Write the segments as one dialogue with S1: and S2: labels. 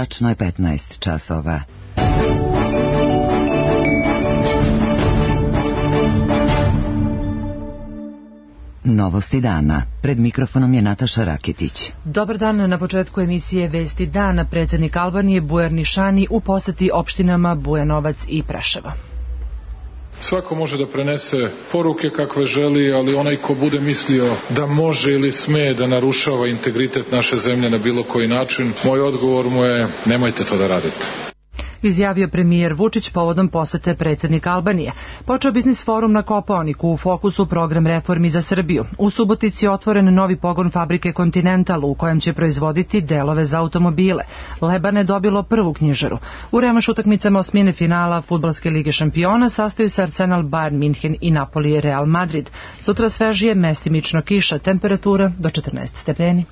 S1: Tačno je 15 časova. Novosti dana. Pred mikrofonom je Nataša Raketić.
S2: Dobar dan. Na početku emisije Vesti dana predsjednik Albanije Bujar Nišani u poseti opštinama Bujanovac i Preševo.
S3: Svako može da prenese poruke kakve želi, ali onaj ko bude mislio da može ili sme da narušava integritet naše zemlje na bilo koji način, moj odgovor mu je nemojte to da radite.
S2: Izjavio premijer Vučić povodom posete predsjednika Albanije. Počeo biznis forum na Kopaoniku, u fokusu program reformi za Srbiju. U Subotici je otvoren novi pogon fabrike Continental u kojem će proizvoditi delove za automobile. Lebane dobilo prvu knjižaru. U revanš utakmicama osmine finala Fudbalske lige šampiona sastaju se Arsenal, Bayern Minhen i Napoli Real Madrid. Sutra svežije, mestimično kiša, temperatura do 14 stepeni.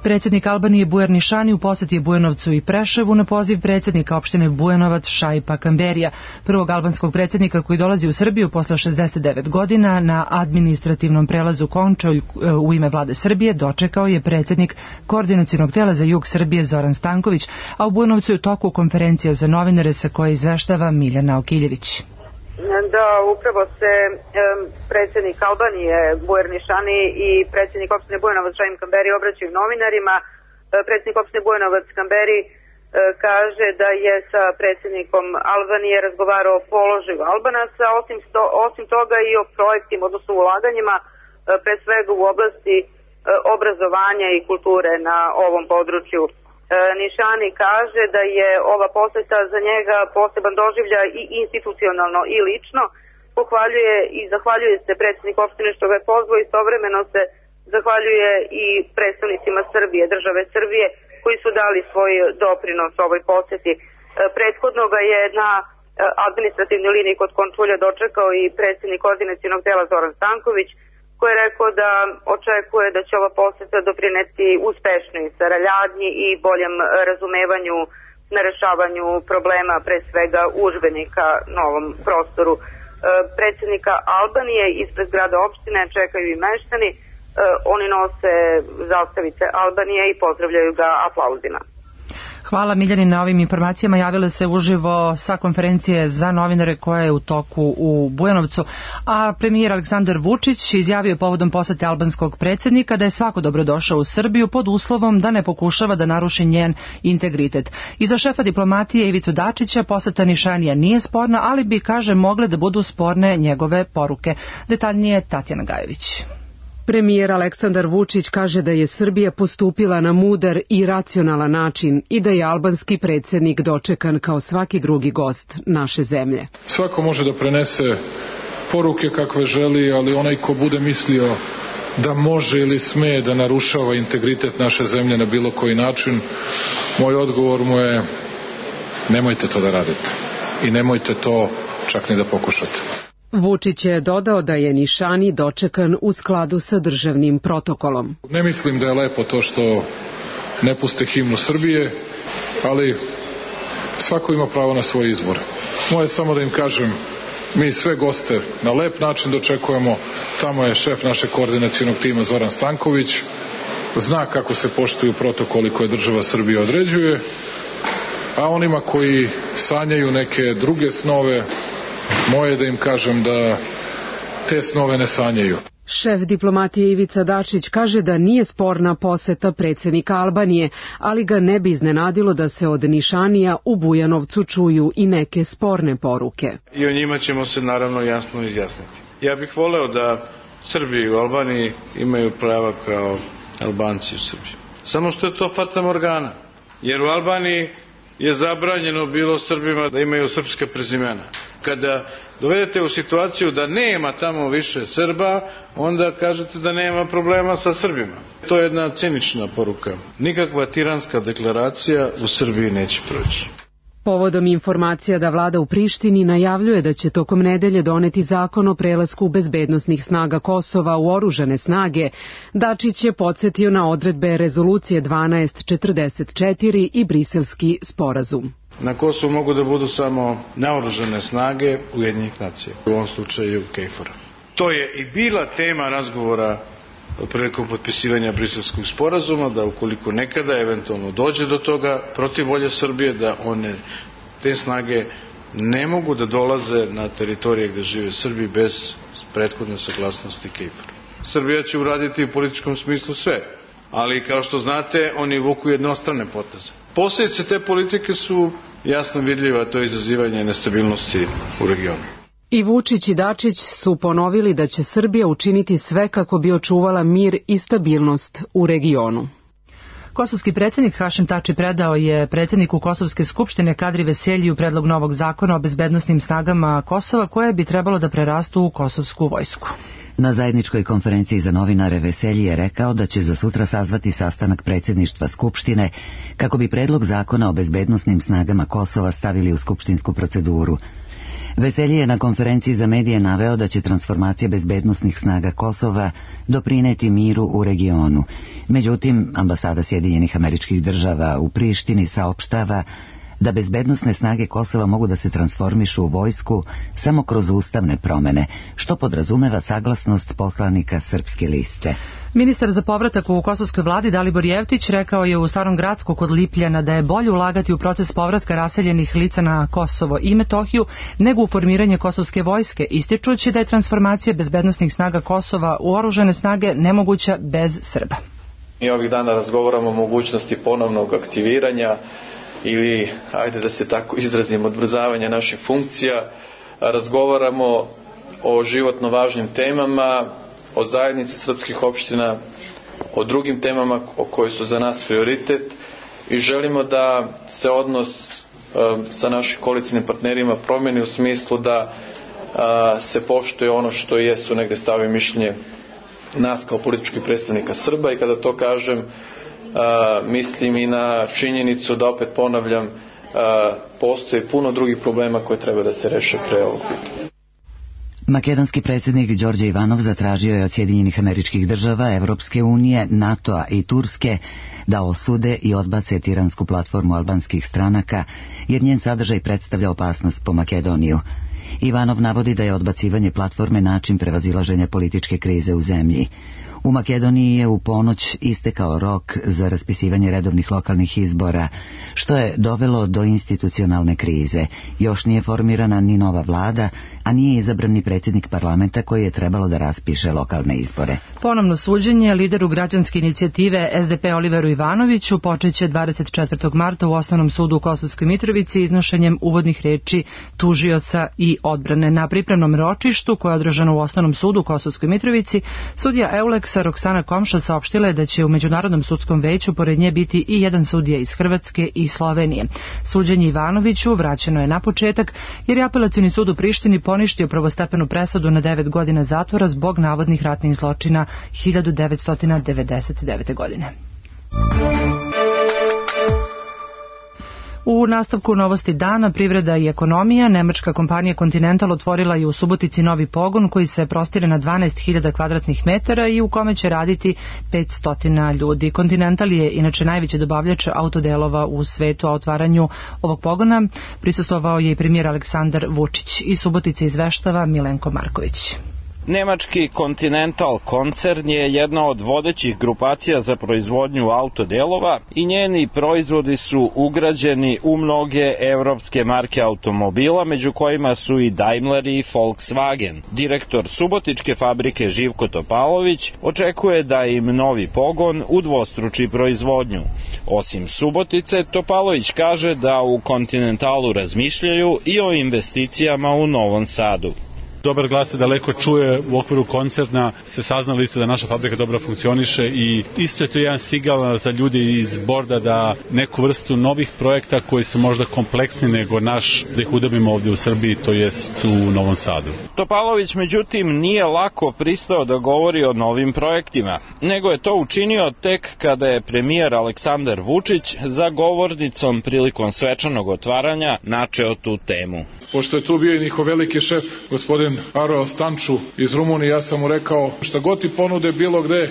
S2: Predsjednik Albanije Bujar Nišani u posjeti Bujanovcu i Preševu na poziv predsjednika opštine Bujanovac Šaipa Kamberija, prvog albanskog predsjednika koji dolazi u Srbiju posle 69 godina na administrativnom prelazu Končolj u ime vlade Srbije dočekao je predsjednik koordinacionog tela za jug Srbije Zoran Stanković, a u Bujanovcu je u toku konferencija za novinare sa koje izveštava Miljana Okiljević.
S4: Da, upravo se predsjednik Albanije Bujar Nišani i predsjednik opštine Bujanovac Šaip Kamberi obraćaju novinarima. Predsjednik opštine Bujanovac Kamberi kaže da je sa predsjednikom Albanije razgovarao o položaju Albanaca, osim toga i o projektima, odnosno ulaganjima, pre svega u oblasti obrazovanja i kulture na ovom području. Nišani kaže da je ova poseta za njega poseban doživljaj i institucionalno i lično. Pohvaljuje i zahvaljuje se predsjednik opštine što ga je pozvao, istovremeno se zahvaljuje i predstavnicima Srbije, države Srbije, koji su dali svoj doprinos ovoj poseti. Prethodno ga je na administrativnoj liniji kod Končulja dočekao i predsjednik koordinacionog tela Zoran Stanković, koji je rekao da očekuje da će ova poseta doprineti uspešnoj saradnji i boljem razumevanju na rešavanju problema, pre svega udžbenika na ovom prostoru. Predsjednika Albanije ispred grada opštine čekaju i meštani, oni nose zastavice Albanije i pozdravljaju ga aplauzima.
S2: Hvala Miljani na ovim informacijama. Javila se uživo sa konferencije za novinare koja je u toku u Bujanovcu, a premijer Aleksandar Vučić izjavio povodom posete albanskog predsjednika da je svako dobrodošao u Srbiju pod uslovom da ne pokušava da naruši njen integritet. I za šefa diplomatije Ivicu Dačića poseta Nišanija nije sporna, ali bi, kaže, mogle da budu sporne njegove poruke. Detaljnije Tatjana Gajević.
S5: Premijer Aleksandar Vučić kaže da je Srbija postupila na mudar i racionalan način i da je albanski predsjednik dočekan kao svaki drugi gost naše zemlje.
S3: Svako može da prenese poruke kakve želi, ali onaj ko bude mislio da može ili sme da narušava integritet naše zemlje na bilo koji način, moj odgovor mu je nemojte to da radite i nemojte to čak ni da pokušate.
S5: Vučić je dodao da je Nišani dočekan u skladu sa državnim protokolom.
S3: Ne mislim da je lepo to što ne puste himnu Srbije, ali svako ima pravo na svoj izbor. Moje samo da im kažem, mi sve goste na lep način dočekujemo. Tamo je šef našeg koordinacionog tima Zoran Stanković, zna kako se poštuju protokoli koje država Srbija određuje, a onima koji sanjaju neke druge snove, moje da im kažem da te snove ne sanjaju.
S5: Šef diplomatije Ivica Dačić kaže da nije sporna poseta predsjednika Albanije, ali ga ne bi iznenadilo da se od Nišanija u Bujanovcu čuju i neke sporne poruke.
S6: I o njima ćemo se naravno jasno izjasniti. Ja bih voleo da Srbi u Albaniji imaju prava kao Albanci u Srbiji. Samo što je to fatamorgana, jer u Albaniji je zabranjeno bilo Srbima da imaju srpska prezimena. Kada dovedete u situaciju da nema tamo više Srba, onda kažete da nema problema sa Srbima. To je jedna cinična poruka. Nikakva tiranska deklaracija u Srbiji neće proći.
S5: Povodom informacija da vlada u Prištini najavljuje da će tokom nedelje doneti zakon o prelasku bezbednosnih snaga Kosova u oružane snage, Dačić je podsjetio na odredbe rezolucije 1244 i Briselski sporazum.
S6: Na Kosovu mogu da budu samo naoružane snage Ujedinjenih nacija, u ovom slučaju KFOR-a. To je i bila tema razgovora prilikom potpisivanja Briselskog sporazuma, da ukoliko nekada eventualno dođe do toga protiv volje Srbije, da te snage ne mogu da dolaze na teritorije gde žive Srbi bez prethodne saglasnosti KFOR. Srbija će uraditi u političkom smislu sve, ali kao što znate, oni vuku jednostrane poteze. Posljedice te politike su jasno vidljive, a to je izazivanje nestabilnosti u regionu.
S5: I Vučić i Dačić su ponovili da će Srbija učiniti sve kako bi očuvala mir i stabilnost u regionu.
S2: Kosovski predsjednik Hašim Tači predao je predsjedniku Kosovske skupštine Kadri Veseljiju predlog novog zakona o bezbednosnim snagama Kosova koje bi trebalo da prerastu u kosovsku vojsku.
S1: Na zajedničkoj konferenciji za novinare Veselji je rekao da će za sutra sazvati sastanak predsjedništva Skupštine kako bi predlog zakona o bezbednosnim snagama Kosova stavili u skupštinsku proceduru. Veselji je na konferenciji za medije naveo da će transformacija bezbednosnih snaga Kosova doprineti miru u regionu. Međutim, ambasada Sjedinjenih Američkih Država u Prištini saopštava da bezbednosne snage Kosova mogu da se transformišu u vojsku samo kroz ustavne promene, što podrazumeva saglasnost poslanika Srpske liste.
S2: Ministar za povratak u kosovskoj vladi Dalibor Jevtić rekao je u Starom Gracku kod Lipljana da je bolje ulagati u proces povratka raseljenih lica na Kosovo i Metohiju nego u formiranje kosovske vojske, ističući da je transformacija bezbednosnih snaga Kosova u oružane snage nemoguća bez Srba.
S7: Mi ovih dana razgovaramo o mogućnosti ponovnog aktiviranja ili, ajde da se tako izrazim, odbrzavanja naših funkcija. Razgovaramo o životno važnim temama, o zajednici srpskih opština, o drugim temama koje su za nas prioritet i želimo da se odnos sa našim koalicijnim partnerima promeni u smislu da se poštuje ono što jesu negde stave mišljenje nas kao političkih predstavnika Srba i kada to kažem mislim i na činjenicu da, opet ponavljam, postoji puno drugih problema koje treba da se reše pre ovog pitanja.
S1: Makedonski predsjednik Đorđe Ivanov zatražio je od Sjedinjenih Američkih Država, Evropske unije, NATO-a i Turske da osude i odbace tiransku platformu albanskih stranaka, jer njen sadržaj predstavlja opasnost po Makedoniju. Ivanov navodi da je odbacivanje platforme način prevazilaženja političke krize u zemlji. U Makedoniji je u ponoć istekao rok za raspisivanje redovnih lokalnih izbora, što je dovelo do institucionalne krize. Još nije formirana ni nova vlada, a nije izabran ni predsjednik parlamenta koji je trebalo da raspiše lokalne izbore.
S2: Ponovno suđenje lideru građanske inicijative SDP Oliveru Ivanoviću počeće 24. marta u Osnovnom sudu u Kosovskoj Mitrovici iznošenjem uvodnih reči tužioca i odbrane. Na pripremnom ročištu koje je održano u Osnovnom sudu u Kosovskoj Mitrovici, sudija Euleksa Roksana Komša saopštila je da će u Međunarodnom sudskom veću pored nje biti i jedan sudija iz Hrvatske i Slovenije. Suđenje Ivanoviću vraćeno je na početak jer je Apelacioni sud u Prištini poništio prvostepenu presudu na 9 godina zatvora zbog navodnih ratnih zločina 1999. godine. U nastavku novosti dana, privreda i ekonomija, nemačka kompanija Continental otvorila je u Subotici novi pogon koji se prostire na 12.000 kvadratnih metara i u kome će raditi 500 ljudi. Continental je inače najveći dobavljač autodelova u svetu, a otvaranju ovog pogona prisustvovao je i premijer Aleksandar Vučić. Iz Subotice izveštava Milenko Marković.
S8: Nemački Continental koncern je jedna od vodećih grupacija za proizvodnju autodelova i njeni proizvodi su ugrađeni u mnoge evropske marke automobila, među kojima su i Daimler i Volkswagen. Direktor subotičke fabrike Živko Topalović očekuje da im novi pogon udvostruči proizvodnju. Osim Subotice, Topalović kaže da u Continentalu razmišljaju i o investicijama u Novom Sadu.
S9: Dobar glas se daleko čuje, u okviru koncerna se saznalo isto da naša fabrika dobro funkcioniše i isto je to jedan signal za ljude iz borda da neku vrstu novih projekta koji su možda kompleksni nego naš, da ih udobimo ovdje u Srbiji, to jest u Novom Sadu.
S8: Topalović međutim nije lako pristao da govori o novim projektima, nego je to učinio tek kada je premijer Aleksandar Vučić za govornicom prilikom svečanog otvaranja načeo tu temu.
S3: Pošto je tu bio i njihov veliki šef, gospodin Aro Stanču iz Rumunije, ja sam mu rekao, šta god ti ponude bilo gde,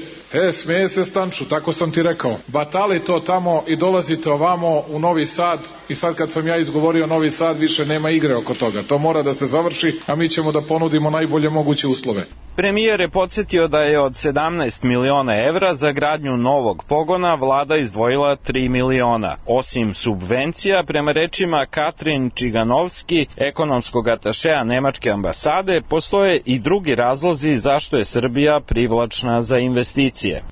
S3: smeje se Stanču, tako sam ti rekao. Batali to tamo i dolazite ovamo u Novi Sad i sad kad sam ja izgovorio Novi Sad više nema igre oko toga. To mora da se završi, a mi ćemo da ponudimo najbolje moguće uslove.
S8: Premijer je podsjetio da je od 17 miliona evra za gradnju novog pogona vlada izdvojila 3 miliona. Osim subvencija, prema rečima Katrin Čiganovski, ekonomskog atašea Nemačke ambasade, postoje i drugi razlozi zašto je Srbija privlačna za investicije.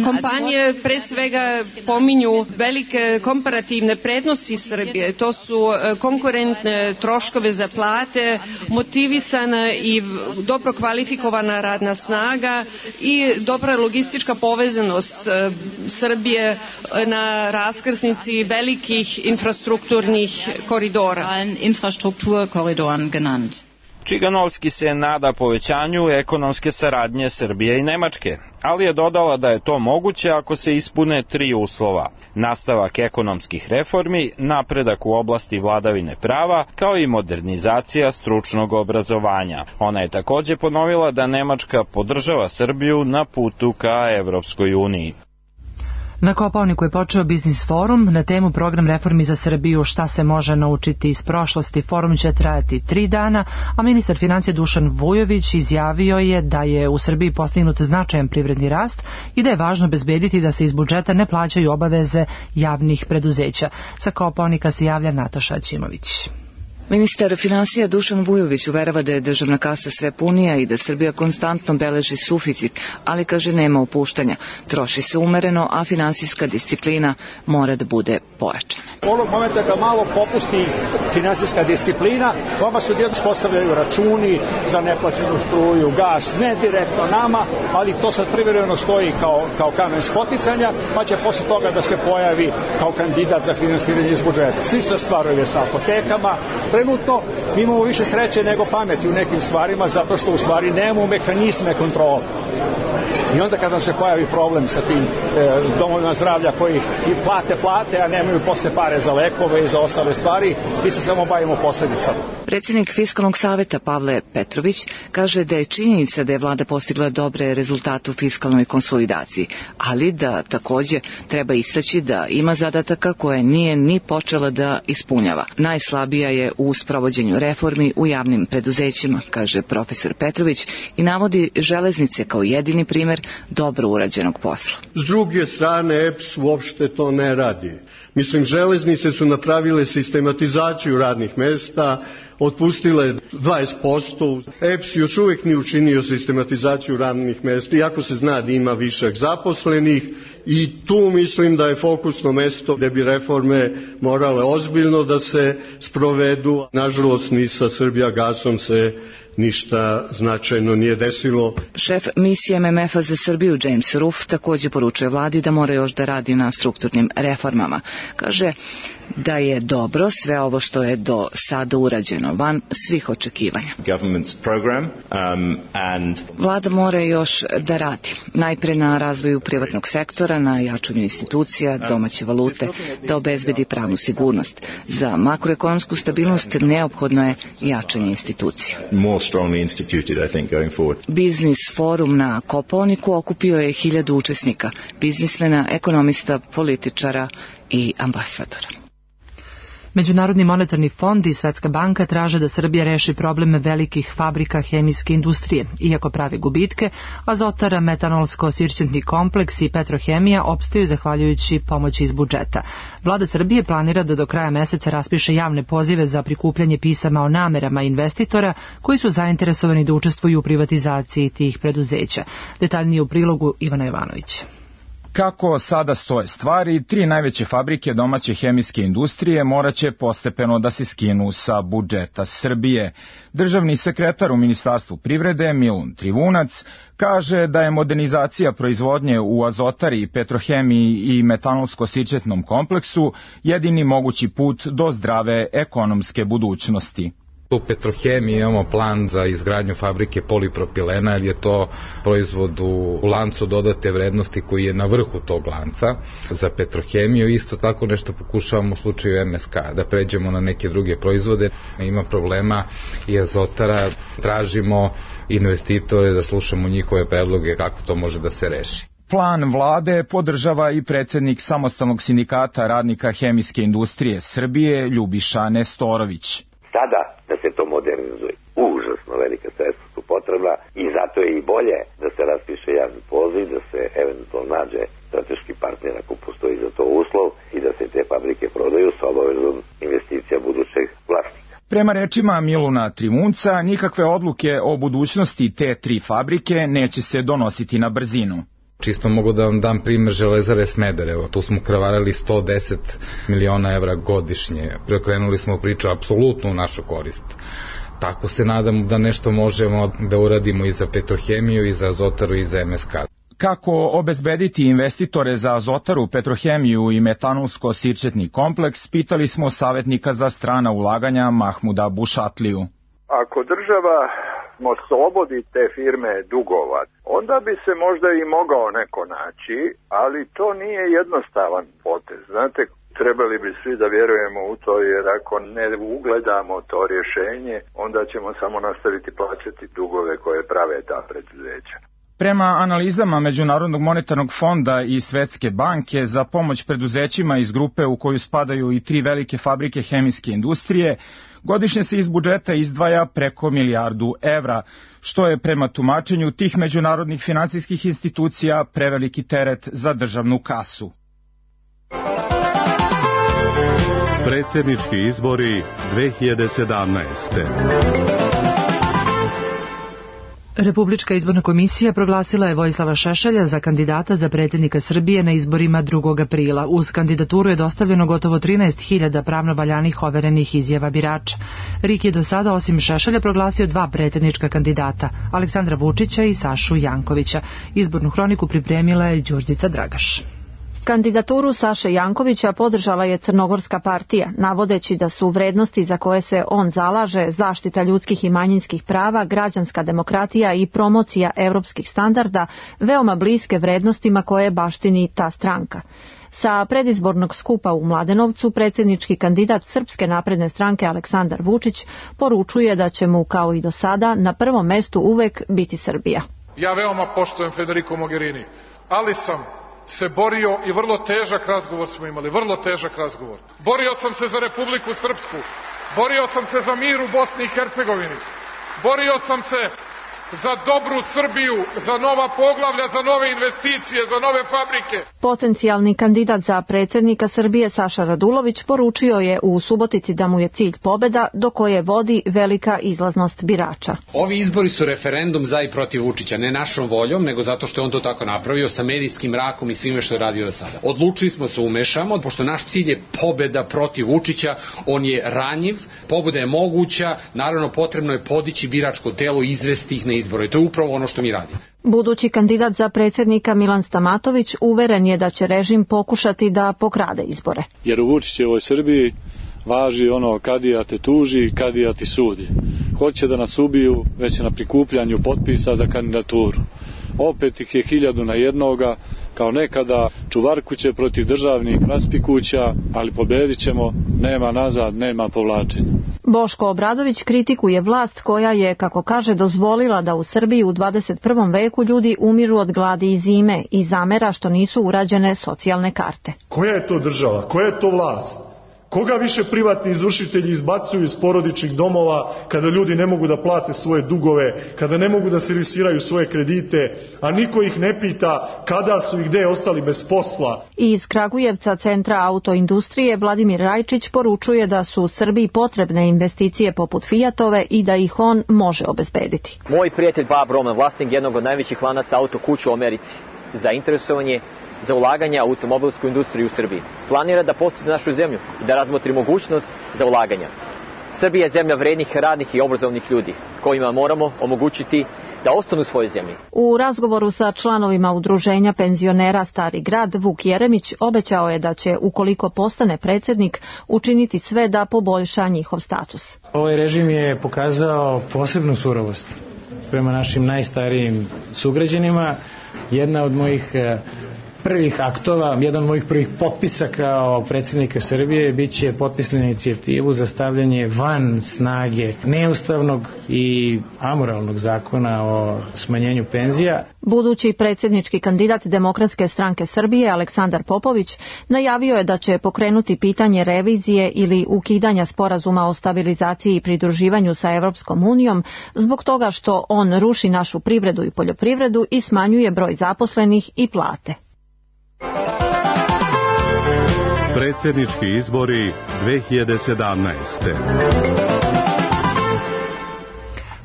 S10: Kompanije pre svega pominju velike komparativne prednosti Srbije. To su konkurentne troškove za plate, motivisana i dobro kvalifikovana radna snaga i dobra logistička povezanost Srbije na raskrsnici velikih infrastrukturnih koridora.
S8: Čiganovski se nada povećanju ekonomske saradnje Srbije i Nemačke, ali je dodala da je to moguće ako se ispune 3 uslova: nastavak ekonomskih reformi, napredak u oblasti vladavine prava, kao i modernizacija stručnog obrazovanja. Ona je takođe ponovila da Nemačka podržava Srbiju na putu ka Evropskoj uniji.
S2: Na Kopaoniku je počeo biznis forum na temu program reformi za Srbiju, šta se može naučiti iz prošlosti. Forum će trajati 3 dana, a ministar financija Dušan Vujović izjavio je da je u Srbiji postignut značajan privredni rast i da je važno obezbediti da se iz budžeta ne plaćaju obaveze javnih preduzeća. Sa Kopaonika se javlja Nataša Ćimović.
S11: Ministar finansija Dušan Vujović uverava da je državna kasa sve punija i da Srbija konstantno beleži suficit, ali kaže nema opuštanja. Troši se umereno, a finansijska disciplina mora da bude pojačana.
S12: Onog momenta da malo popusti finansijska disciplina, vama su djelomično postavljaju računi za neplaćenu struju, gas, ne direktno nama, ali to sad privremeno stoji kao kamen spoticanja, pa će posle toga da se pojavi kao kandidat za finansiranje iz budžeta. Slična stvar je sa apotekama. Trenutno mi imamo više sreće nego pameti u nekim stvarima, zato što u stvari nemamo mehanizme kontrole. I onda kada se pojavi problem sa tim domovima zdravlja koji i plate, a nemaju posle pare za lekove i za ostale stvari, mi se samo bavimo posledicama.
S11: Predsjednik Fiskalnog saveta Pavle Petrović kaže da je činjenica da je vlada postigla dobre rezultate u fiskalnoj konsolidaciji, ali da takođe treba istaći da ima zadataka koje nije ni počela da ispunjava. Najslabija je u sprovođenju reformi u javnim preduzećima, kaže profesor Petrović, i navodi železnice kao jedini primer dobro urađenog posla.
S13: S druge strane, EPS uopšte to ne radi. Mislim, železnice su napravile sistematizaciju radnih mesta, otpustile 20%. EPS još uvijek nije učinio sistematizaciju radnih mesta, iako se zna da ima višak zaposlenih, i tu mislim da je fokusno mesto gde bi reforme morale ozbiljno da se sprovedu. Nažalost, ni sa Srbijagasom se ništa značajno nije desilo.
S11: Šef misije MMF-a za Srbiju James Ruff takođe poručuje vladi da mora još da radi na strukturnim reformama. Kaže da je dobro sve ovo što je do sada urađeno van svih očekivanja. Vlada mora još da radi. Najpre na razvoju privatnog sektora, na jačanju institucija, domaće valute, da obezbedi pravnu sigurnost. Za makroekonomsku stabilnost neophodno je jačanje institucija. Biznis forum na Kopaoniku okupio je 1000 učesnika, biznismena, ekonomista, političara i ambasadora.
S2: Međunarodni monetarni fond i Svetska banka traže da Srbija reši probleme velikih fabrika hemijske industrije. Iako prave gubitke, Azotara, metanolsko-sirćentni kompleks i Petrohemija opstaju zahvaljujući pomoći iz budžeta. Vlada Srbije planira da do kraja meseca raspiše javne pozive za prikupljanje pisama o namerama investitora koji su zainteresovani da učestvuju u privatizaciji tih preduzeća. Detaljnije u prilogu Ivana Jovanović.
S14: Kako sada stoje stvari, 3 najveće fabrike domaće hemijske industrije moraće postepeno da se skinu sa budžeta Srbije. Državni sekretar u Ministarstvu privrede Milun Trivunac kaže da je modernizacija proizvodnje u Azotari, Petrohemiji i metanolsko-sirćetnom kompleksu jedini mogući put do zdrave ekonomske budućnosti.
S15: U Petrohemiji imamo plan za izgradnju fabrike polipropilena, jer je to proizvod u lancu dodate vrednosti koji je na vrhu tog lanca. Za Petrohemiju isto tako nešto pokušavamo u slučaju MSK, da pređemo na neke druge proizvode. Ima problema i Azotara, tražimo investitore da slušamo njihove predloge kako to može da se reši.
S14: Plan vlade podržava i predsjednik Samostalnog sindikata radnika hemijske industrije Srbije Ljubiša Nestorović.
S16: Sada da se to modernizuje. Užasno velika sredstva su potrebna i zato je i bolje da se raspiše javni poziv, da se eventualno nađe strateški partner ako postoji za to uslov i da se te fabrike prodaju sa obavezom investicija budućeg vlasnika.
S14: Prema rečima Miluna Trimunca, nikakve odluke o budućnosti te 3 fabrike neće se donositi na brzinu.
S15: Čisto mogu da vam dam primer Železare Smederevo. Tu smo kravarali 110 miliona evra godišnje. Preokrenuli smo priču apsolutno u našu korist. Tako se nadam da nešto možemo da uradimo i za Petrohemiju, i za Azotaru, i za MSK.
S14: Kako obezbediti investitore za Azotaru, Petrohemiju i metanolsko-sirćetni kompleks, pitali smo savjetnika za strana ulaganja Mahmuda Bušatliju.
S17: Ako država oslobodi te firme dugova, onda bi se možda i mogao neko naći, ali to nije jednostavan potez. Znate, trebali bi svi da vjerujemo u to, jer ako ne ugledamo to rješenje, onda ćemo samo nastaviti plaćati dugove koje prave ta preduzeća.
S14: Prema analizama Međunarodnog monetarnog fonda i Svetske banke za pomoć preduzećima iz grupe u koju spadaju i 3 velike fabrike hemijske industrije, godišnje se iz budžeta izdvaja preko 1 milijardu evra, što je prema tumačenju tih međunarodnih finansijskih institucija preveliki teret za državnu kasu.
S18: Predsjednički izbori 2017.
S2: Republička izborna komisija proglasila je Vojislava Šešelja za kandidata za predsjednika Srbije na izborima 2. aprila. Uz kandidaturu je dostavljeno gotovo 13.000 pravno valjanih overenih izjava birača. RIK je do sada osim Šešelja proglasio 2 predsjednička kandidata, Aleksandra Vučića i Sašu Jankovića. Izbornu hroniku pripremila je Đurđica Dragaš.
S19: Kandidaturu Saše Jankovića podržala je Crnogorska partija, navodeći da su vrednosti za koje se on zalaže, zaštita ljudskih i manjinskih prava, građanska demokratija i promocija evropskih standarda, veoma bliske vrednostima koje baštini ta stranka. Sa predizbornog skupa u Mladenovcu predsjednički kandidat Srpske napredne stranke Aleksandar Vučić poručuje da će mu, kao i do sada, na prvom mestu uvek biti Srbija.
S3: Ja veoma poštujem Federico Mogherini, ali sam se borio i vrlo težak razgovor smo imali, vrlo težak razgovor. Borio sam se za Republiku Srpsku, borio sam se za mir u Bosni i Hercegovini, borio sam se za dobru Srbiju, za nova poglavlja, za nove investicije, za nove fabrike.
S19: Potencijalni kandidat za predsjednika Srbije Saša Radulović poručio je u Subotici da mu je cilj pobeda do koje vodi velika izlaznost birača.
S20: Ovi izbori su referendum za i protiv Vučića, ne našom voljom, nego zato što je on to tako napravio sa medijskim mrakom i svime što je radio do sada. Odlučili smo se umešamo, pošto naš cilj je pobeda protiv Vučića, on je ranjiv, pobeda je moguća, naravno potrebno je podići biračko telo i izvesti ih na izbore. I to je upravo ono što mi radimo.
S19: Budući kandidat za predsjednika Milan Stamatović uveren je da će režim pokušati da pokrade izbore.
S21: Jer u Vučićevoj Srbiji važi ono kadija te tuži, kadija ti sudi. Hoće da nas ubiju već na prikupljanju potpisa za kandidaturu. Opet ih je 1000 na jednoga, kao nekada čuvarkuće protiv državnih raspikuća, ali pobedit ćemo, nema nazad, nema povlačenja.
S19: Boško Obradović kritikuje vlast koja je, kako kaže, dozvolila da u Srbiji u 21. veku ljudi umiru od gladi i zime i zamera što nisu urađene socijalne karte.
S22: Koja je to država? Koja je to vlast? Koga više privatni izvršitelji izbacuju iz porodičnih domova kada ljudi ne mogu da plate svoje dugove, kada ne mogu da servisiraju svoje kredite, a niko ih ne pita kada su i gde ostali bez posla?
S19: Iz Kragujevca, centra autoindustrije, Vladimir Rajčić poručuje da su u Srbiji potrebne investicije poput Fijatove i da ih on može obezbediti.
S23: Moj prijatelj Bob Roman, vlasnik jednog od najvećih lanaca autokuća u Americi, zainteresovan je za ulaganja u automobilsku industriju u Srbiji. Planira da posjeti našu zemlju i da razmotri mogućnost za ulaganja. Srbija je zemlja vrednih, radnih i obrazovnih ljudi, kojima moramo omogućiti da ostanu u svojoj zemlji.
S19: U razgovoru sa članovima udruženja penzionera Stari grad, Vuk Jeremić obećao je da će, ukoliko postane predsjednik, učiniti sve da poboljša njihov status.
S24: Ovaj režim je pokazao posebnu surovost prema našim najstarijim sugrađanima. Jedna od mojih prvih aktova, jedan od mojih prvih potpisa kao predsjednika Srbije biće potpis na inicijativu za stavljanje van snage neustavnog i amoralnog zakona o smanjenju penzija.
S19: Budući predsjednički kandidat Demokratske stranke Srbije Aleksandar Popović najavio je da će pokrenuti pitanje revizije ili ukidanja sporazuma o stabilizaciji i pridruživanju sa Evropskom unijom zbog toga što on ruši našu privredu i poljoprivredu i smanjuje broj zaposlenih i plate.
S18: Predsjednički izbori 2017.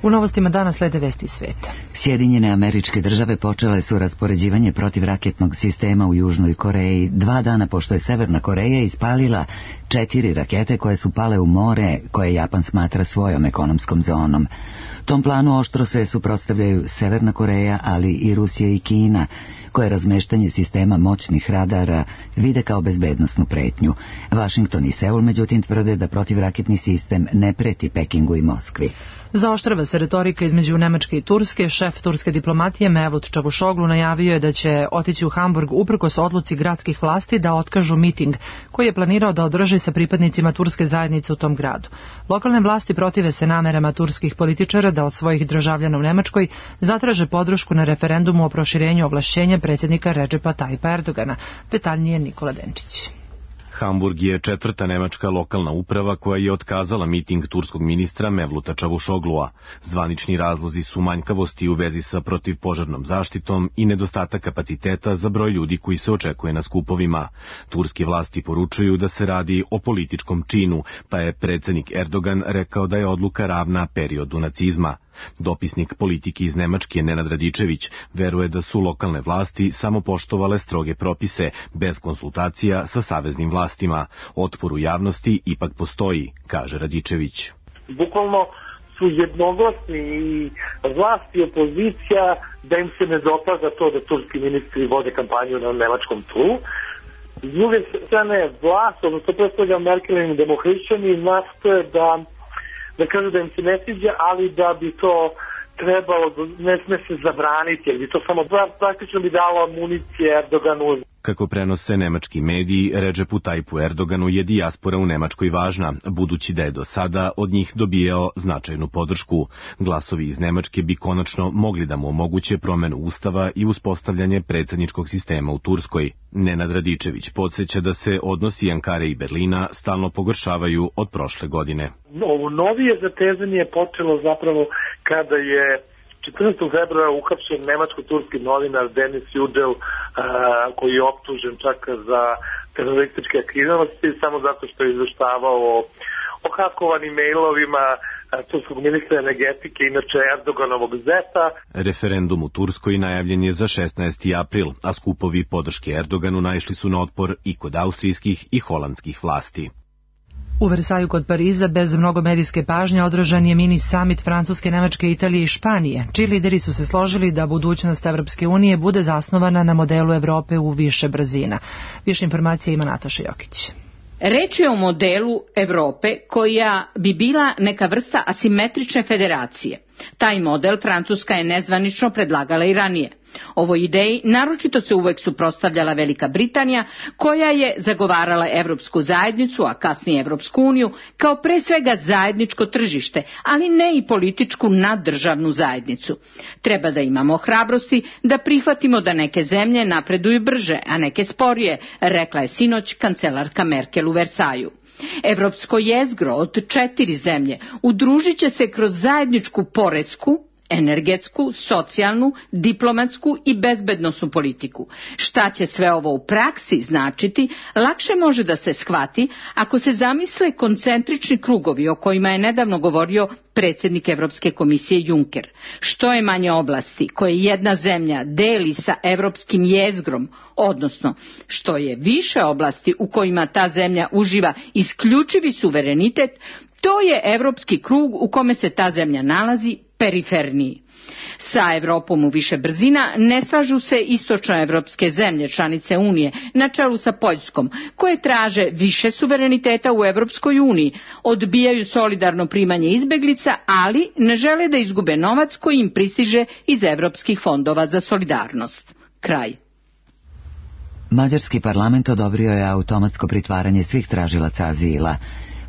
S2: U novostima dana slede vesti iz sveta.
S1: Sjedinjene Američke Države počele su raspoređivanje protivraketnog sistema u Južnoj Koreji 2 dana pošto je Severna Koreja ispalila 4 rakete koje su pale u more koje Japan smatra svojom ekonomskom zonom. Tom planu oštro se suprotstavljaju Severna Koreja, ali i Rusija i Kina, koje razmeštanje sistema moćnih radara vide kao bezbednosnu pretnju. Vašington i Seul međutim tvrde da protivraketni sistem ne preti Pekingu i Moskvi.
S2: Zaoštrava se retorika između Nemačke i Turske. Šef turske diplomatije Mevlut Čavušoglu najavio je da će otići u Hamburg uprkos odluci gradskih vlasti da otkažu miting koji je planirao da održi sa pripadnicima turske zajednice u tom gradu. Lokalne vlasti protive se namerama turskih političara da od svojih državljana u Nemačkoj zatraže podršku na referendumu o proširenju ovlašćenja predsjednika Redžepa Tajpa Erdogana. Detaljnije Nikola Denčić.
S4: Hamburg je 4. nemačka lokalna uprava koja je otkazala miting turskog ministra Mevluta Čavušoglua. Zvanični razlozi su manjkavosti u vezi sa protivpožarnom zaštitom i nedostatak kapaciteta za broj ljudi koji se očekuje na skupovima. Turske vlasti poručuju da se radi o političkom činu, pa je predsjednik Erdogan rekao da je odluka ravna periodu nacizma. Dopisnik politike iz Nemačke Nenad Radičević veruje da su lokalne vlasti samo poštovale stroge propise, bez konsultacija sa saveznim vlastima. Otpor u javnosti ipak postoji, kaže Radičević.
S5: Bukvalno su jednoglasni i vlast i opozicija da im se ne dopada to da turski ministri vode kampanju na nemačkom tlu. S druge strane, vlast, odnosno predstavlja Merkelini demohrišćani, nastoje da kažu da im se ne sviđa, ali da bi to trebalo, ne sme se zabraniti, jer bi to samo praktično bi dalo municije Erdoganu.
S4: Kako prenose nemački mediji, Redžepu Tajpu Erdoganu je dijaspora u Nemačkoj važna, budući da je do sada od njih dobijao značajnu podršku. Glasovi iz Nemačke bi konačno mogli da mu omoguće promenu ustava i uspostavljanje predsjedničkog sistema u Turskoj. Nenad Radičević podsjeća da se odnosi Ankare i Berlina stalno pogoršavaju od prošle godine.
S5: Ovo novije zatezanje je počelo zapravo kada je 14. februara uhapšen nemačko-turski novinar Denis Yücel, koji je optužen čak za terorističke aktivnosti samo zato što je izveštavao o hakovanim mailovima turskog ministra energetike, inače Erdoganovog zeta.
S4: Referendum u Turskoj najavljen je za 16. april, a skupovi podrške Erdoganu naišli su na otpor i kod austrijskih i holandskih vlasti.
S2: U Versaju kod Pariza bez mnogo medijske pažnje održan je mini summit Francuske, Nemačke, Italije i Španije, čiji lideri su se složili da budućnost Evropske unije bude zasnovana na modelu Evrope u više brzina. Više informacija ima Nataša Jokić.
S6: Reč je o modelu Evrope koja bi bila neka vrsta asimetrične federacije. Taj model Francuska je nezvanično predlagala i ranije. Ovoj ideji naročito se uvek suprotstavljala Velika Britanija, koja je zagovarala Evropsku zajednicu, a kasnije Evropsku uniju, kao pre svega zajedničko tržište, ali ne i političku naddržavnu zajednicu. Treba da imamo hrabrosti da prihvatimo da neke zemlje napreduju brže, a neke sporije, rekla je sinoć kancelarka Merkel u Versaju. Evropsko jezgro od 4 zemlje udružit će se kroz zajedničku poresku, energetsku, socijalnu, diplomatsku i bezbednosnu politiku. Šta će sve ovo u praksi značiti, lakše može da se shvati ako se zamisle koncentrični krugovi o kojima je nedavno govorio predsjednik Evropske komisije Juncker. Što je manje oblasti koje jedna zemlja deli sa evropskim jezgrom, odnosno što je više oblasti u kojima ta zemlja uživa isključivi suverenitet, to je evropski krug u kome se ta zemlja nalazi periferniji. Sa Evropom u više brzina ne slažu se istočnoevropske zemlje, članice Unije, na čelu sa Poljskom, koje traže više suvereniteta u Evropskoj uniji, odbijaju solidarno primanje izbeglica, ali ne žele da izgube novac koji im pristiže iz evropskih fondova za solidarnost. Kraj.
S1: Mađarski parlament odobrio je automatsko pritvaranje svih tražilaca azila.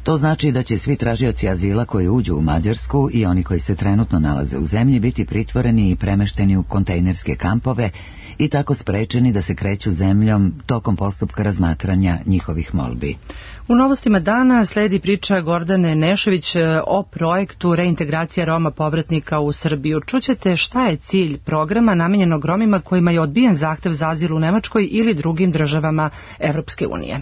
S1: To znači da će svi tražioci azila koji uđu u Mađarsku i oni koji se trenutno nalaze u zemlji biti pritvoreni i premešteni u kontejnerske kampove i tako sprečeni da se kreću zemljom tokom postupka razmatranja njihovih molbi.
S2: U novostima dana sledi priča Gordane Nešović o projektu reintegracija Roma povratnika u Srbiju. Čućete šta je cilj programa namenjenog Romima kojima je odbijen zahtev za azil u Nemačkoj ili drugim državama Evropske unije.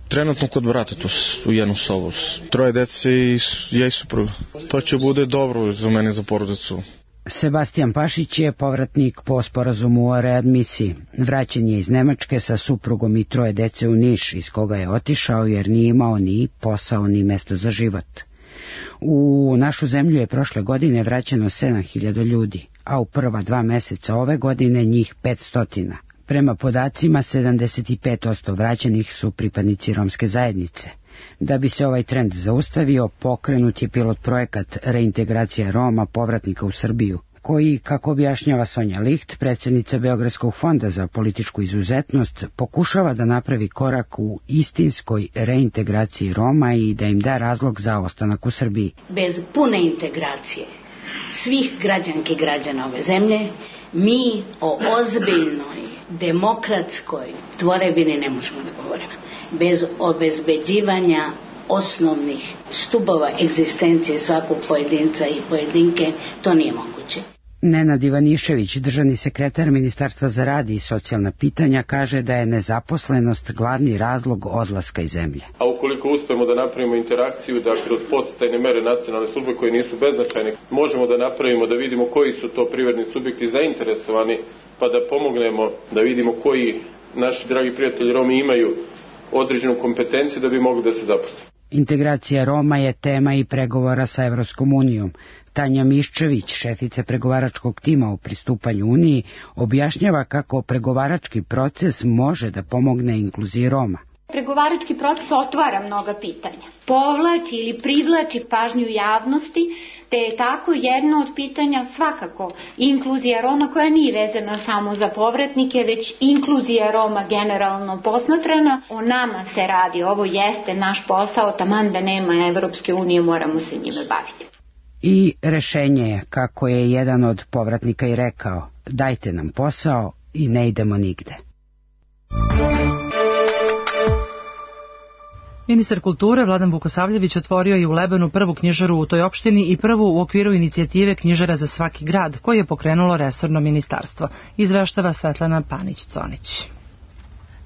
S7: Trenutno kod brata tu u jednu sobu. 3 dece i ja i supruga. To će bude dobro za mene, za porodicu.
S8: Sebastijan Pašić je povratnik po sporazumu o readmisiji. Vraćen je iz Nemačke sa suprugom i 3 dece u Niš, iz koga je otišao jer nije imao ni posao ni mesto za život. U našu zemlju je prošle godine vraćeno 7.000 ljudi, a u prva 2 meseca ove godine njih 500. Prema podacima, 75% vraćenih su pripadnici romske zajednice. Da bi se ovaj trend zaustavio, pokrenut je pilot projekat reintegracija Roma povratnika u Srbiju, koji, kako objašnjava Sonja Licht, predsjednica Beogradskog fonda za političku izuzetnost, pokušava da napravi korak u istinskoj reintegraciji Roma i da im da razlog za ostanak u Srbiji.
S9: Bez pune integracije svih građanki i građana ove zemlje, mi o ozbiljnoj demokratskoj tvorevini ne možemo da govorimo. Bez obezbeđivanja osnovnih stubova egzistencije svakog pojedinca i pojedinke, to nije moguće.
S8: Nenad Ivanišević, državni sekretar Ministarstva za rad i socijalna pitanja, kaže da je nezaposlenost glavni razlog odlaska iz zemlje.
S10: A ukoliko uspemo da napravimo interakciju, da kroz podsticajne mere nacionalne službe koje nisu beznačajne, možemo da napravimo, da vidimo koji su to privredni subjekti zainteresovani, pa da pomognemo, da vidimo koji naši dragi prijatelji Romi imaju određenu kompetenciju da bi mogli da se zaposle.
S8: Integracija Roma je tema i pregovora sa Evropskom unijom. Tanja Miščević, šefica pregovaračkog tima u pristupanju Uniji, objašnjava kako pregovarački proces može da pomogne inkluziji Roma.
S25: Pregovarački proces otvara mnoga pitanja. Povlači ili privlači pažnju javnosti, te je tako jedno od pitanja svakako inkluzija Roma koja nije vezana samo za povratnike, već inkluzija Roma generalno posmatrana. O nama se radi, ovo jeste naš posao, taman da nema Evropske unije, moramo se njime baviti.
S8: I rešenje je, kako je jedan od povratnika i rekao, dajte nam posao i ne idemo nigde.
S2: Ministar kulture Vladan Vukosavljević otvorio je u Lebanu prvu knjižaru u toj opštini i prvu u okviru inicijative Knjižara za svaki grad, koje je pokrenulo resorno ministarstvo. Izveštava Svetlana Panić-Conić.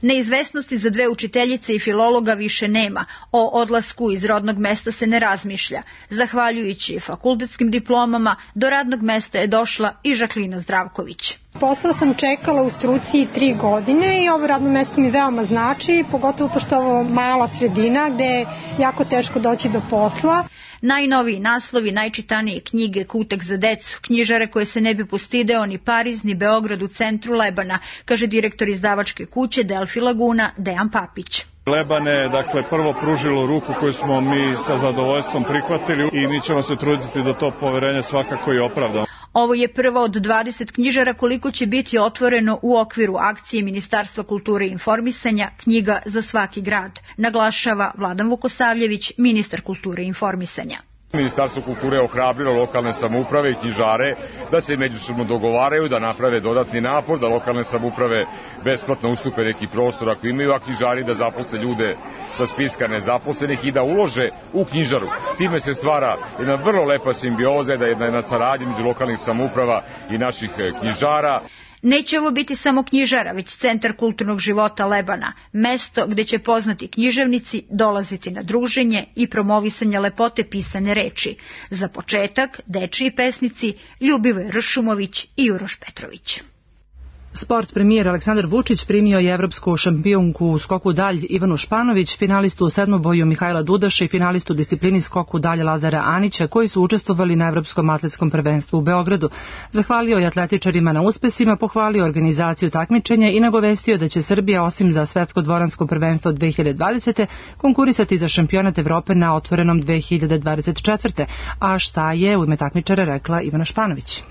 S26: Neizvesnosti za 2 učiteljice i filologa više nema. O odlasku iz rodnog mesta se ne razmišlja. Zahvaljujući fakultetskim diplomama, do radnog mesta je došla i Žaklina Zdravković.
S27: Posao sam čekala u struci 3 godine i ovo radno mesto mi veoma znači, pogotovo pošto ovo mala sredina gde je jako teško doći do posla.
S26: Najnoviji naslovi, najčitanije knjige, kutek za decu, knjižare koje se ne bi postideo ni Pariz, ni Beograd u centru Lebana, kaže direktor izdavačke kuće Delfi Laguna Dejan Papić.
S21: Leban je, prvo pružilo ruku koju smo mi sa zadovoljstvom prihvatili i mi ćemo se truditi da to poverenje svakako i opravdamo.
S26: Ovo je prva od 20 knjižara koliko će biti otvoreno u okviru akcije Ministarstva kulture i informisanja Knjiga za svaki grad, naglašava Vladan Vukosavljević, ministar kulture i informisanja.
S28: Ministarstvo kulture je ohrabrilo lokalne samouprave i knjižare da se međusobno dogovaraju, da naprave dodatni napor, da lokalne samouprave besplatno ustupe neki prostor ako imaju, a knjižari da zaposle ljude sa spiska nezaposlenih i da ulože u knjižaru. Time se stvara jedna vrlo lepa simbioza, jedna saradnja među lokalnih samouprava i naših knjižara.
S26: Neće ovo biti samo knjižara, već centar kulturnog života Lebana, mesto gde će poznati književnici dolaziti na druženje i promovisanje lepote pisane reči. Za početak, dečiji pesnici Ljubivoj Ršumović i Uroš Petrović.
S2: Sport premijer Aleksandar Vučić primio je evropsku šampionku u skoku dalj Ivanu Španović, finalistu u sedmoboju Mihajla Dudaša i finalistu u disciplini skoku dalj Lazara Anića, koji su učestvovali na Evropskom atletskom prvenstvu u Beogradu. Zahvalio je atletičarima na uspesima, pohvalio organizaciju takmičenja i nagovestio da će Srbija, osim za svetsko dvoransko prvenstvo 2020. konkurisati za šampionat Evrope na otvorenom 2024. A šta je u ime takmičara rekla Ivana Španović?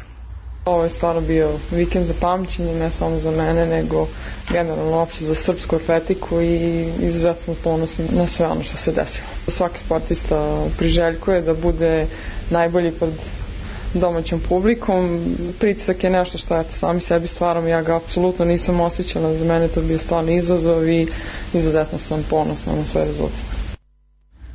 S3: Ovo je stvarno bio vikend za pamćenje, ne samo za mene, nego generalno opšte za srpsku atletiku i izuzetno smo ponosni na sve ono što se desilo. Svaki sportista priželjkuje da bude najbolji pred domaćom publikom. Pritisak je nešto što eto, sami sebi stvaramo, ja ga apsolutno nisam osjećala, za mene to bio stvarno izazov i izuzetno sam ponosna na sve rezultate.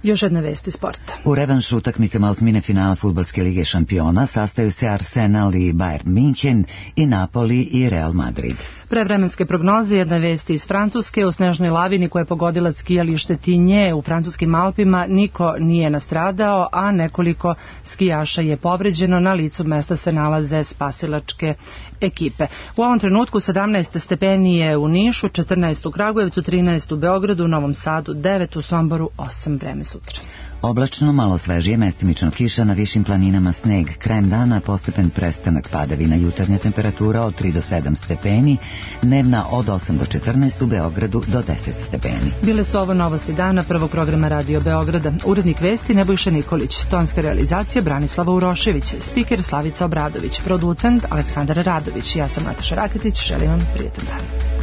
S2: Još jedna vest iz sporta.
S1: U revanšu utakmicama osmine finala Fudbalske lige šampiona sastaju se Arsenal i Bayern München i Napoli i Real Madrid.
S2: Pre vremenske prognoze jedna vest iz Francuske. U snežnoj lavini koja je pogodila skijalište Tinje u francuskim Alpima niko nije nastradao, a nekoliko skijaša je povređeno. Na licu mesta se nalaze spasilačke ekipe. U ovom trenutku 17 stepeni je u Nišu, 14 u Kragujevcu, 13 u Beogradu, u Novom Sadu, 9 u Somboru, 8 vreme sutra.
S1: Oblačno, malo svežije, mestimično kiša, na višim planinama sneg. Krajem dana postepen prestanak padavina, jutarnja temperatura od 3 do 7 stepeni, dnevna od 8 do 14, u Beogradu do 10 stepeni.
S2: Bile su ovo novosti dana prvog programa Radio Beograda. Urednik vesti Nebojša Nikolić, tonska realizacija Branislava Urošević, spiker Slavica Obradović, producent Aleksandar Radović. Ja sam Nataša Raketić, želim vam prijetan dan.